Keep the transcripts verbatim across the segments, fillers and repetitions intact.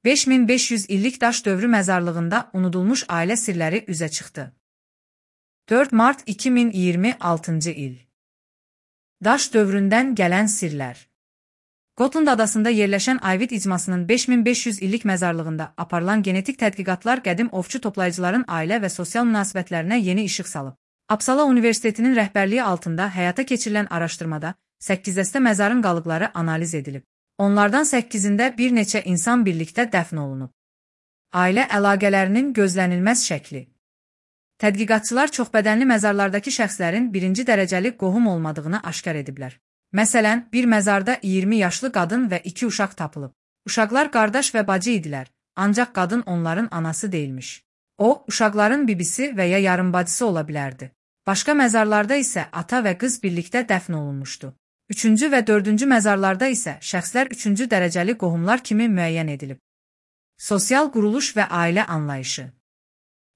beş min beş yüz illik daş dövrü məzarlığında unudulmuş ailə sirləri üzə çıxdı. dörd mart iki min iyirmi altıncı il. Daş dövründən gələn sirlər. Gotland adasında yerləşən Ayvid icmasının beş min beş yüz illik məzarlığında aparılan genetik tədqiqatlar qədim ovçu toplayıcıların ailə və sosial münasibətlərinə yeni işıq salıb. Uppsala Universitetinin rəhbərliyi altında həyata keçirilən araşdırmada səkkiz dəstə məzarın qalıqları analiz edilib. Onlardan səkkizində bir neçə insan birlikdə dəfn olunub. Ailə əlaqələrinin gözlənilməz şəkli. Tədqiqatçılar çoxbədənli məzarlardakı şəxslərin birinci dərəcəli qohum olmadığını aşkar ediblər. Məsələn, bir məzarda iyirmi yaşlı qadın və iki uşaq tapılıb. Uşaqlar qardaş və bacı idilər, ancaq qadın onların anası deyilmiş. O, uşaqların bibisi və ya yarımbacısı ola bilərdi. Başqa məzarlarda isə ata və qız birlikdə dəfn olunmuşdu. Üçüncü və dördüncü məzarlarda isə şəxslər üçüncü dərəcəli qohumlar kimi müəyyən edilib. Sosial quruluş və ailə anlayışı.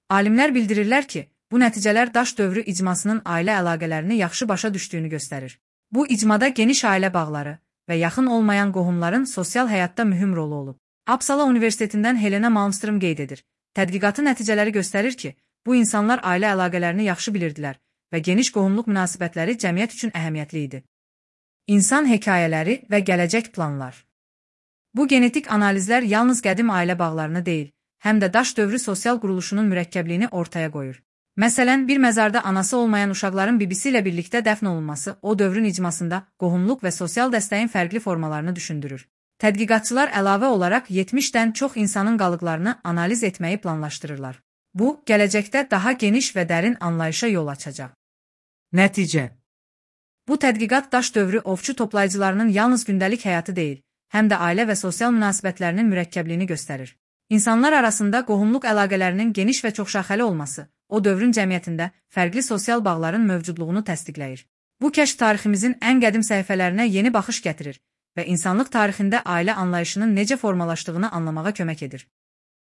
Alimlər bildirirlər ki, bu nəticələr daş dövrü icmasının ailə əlaqələrini yaxşı başa düşdüyünü göstərir. Bu icmada geniş ailə bağları və yaxın olmayan qohumların sosial həyatda mühüm rolu olub. Uppsala Universitetindən Helena Malmström qeyd edir. Tədqiqatın nəticələri göstərir ki, bu insanlar ailə əlaqələrini yaxşı bilirdilər və geniş qohumluq münasibətləri cəmiyyət üçün əhəmiyyətli idi. İnsan hekayələri və gələcək planlar. Bu genetik analizlər yalnız qədim ailə bağlarını deyil, həm də daş dövrü sosial quruluşunun mürəkkəbliyini ortaya qoyur. Məsələn, bir məzarda anası olmayan uşaqların bibisi ilə birlikdə dəfn olunması o dövrün icmasında qohumluq və sosial dəstəyin fərqli formalarını düşündürür. Tədqiqatçılar əlavə olaraq yetmişdən çox insanın qalıqlarını analiz etməyi planlaşdırırlar. Bu, gələcəkdə daha geniş və dərin anlayışa yol açacaq. Nəticə. Bu tədqiqat daş dövrü ovçu toplayıcılarının yalnız gündəlik həyatı deyil, həm də ailə və sosial münasibətlərinin mürəkkəbliyini göstərir. İnsanlar arasında qohumluq əlaqələrinin geniş və çoxşaxəli olması o dövrün cəmiyyətində fərqli sosial bağların mövcudluğunu təsdiqləyir. Bu kəşf tariximizin ən qədim səhifələrinə yeni baxış gətirir və insanlıq tarixində ailə anlayışının necə formalaşdığını anlamağa kömək edir.